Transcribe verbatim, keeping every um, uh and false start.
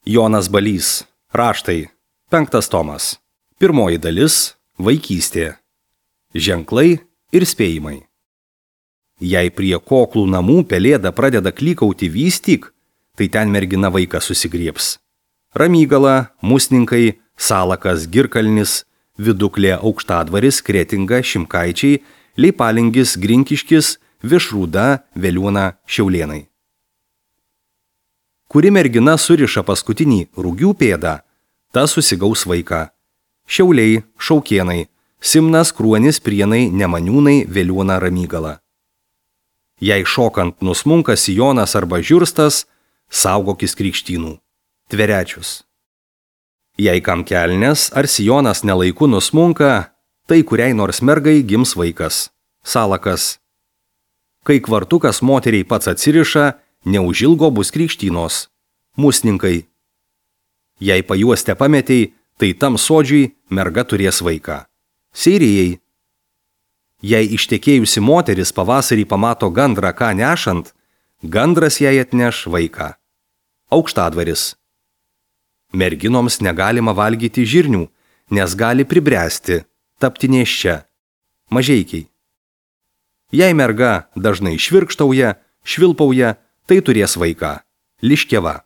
Jonas Balys. Raštai. Penktas tomas. Pirmoji dalis. Vaikystė. Ženklai ir spėjimai. Jei prie koklų namų pelėda pradeda klykauti vystyk, tai ten mergina vaiką susigriebs. Ramygala, Musninkai, Salakas, Girkalnis, Viduklė, Aukštadvaris, Kretinga, Šimkaičiai, Leipalingis, Grinkiškis, Višrūda, Veliūna, Šiaulėnai. Kuri mergina suriša paskutinį rugių pėdą, ta susigaus vaiką. Šiauliai, Šaukėnai, Simnas, Kruonis, Prienai, Nemaniūnai, Veliūna, Ramygala. Jei šokant nusmunka sijonas arba žiurstas, saugokis krikštynų. Tverečius. Jei kam kelnes ar sijonas nelaiku nusmunka, tai kuriai nors mergai gims vaikas. Salakas. Kai kvartukas moteriai pats atsiriša, neužilgo bus krikštynos. Musninkai. Jei pajuostę pametei, tai tam sodžiui merga turės vaiką. Seirijai. Jei ištekėjusi moteris pavasarį pamato gandrą ką nešant, gandras jai atneš vaiką. Aukštadvaris. Merginoms negalima valgyti žirnių, nes gali pribręsti, tapti nėščia. Mažeikiai. Jei merga dažnai švirkštauja, švilpauja, tai turės vaiką. Liškiava.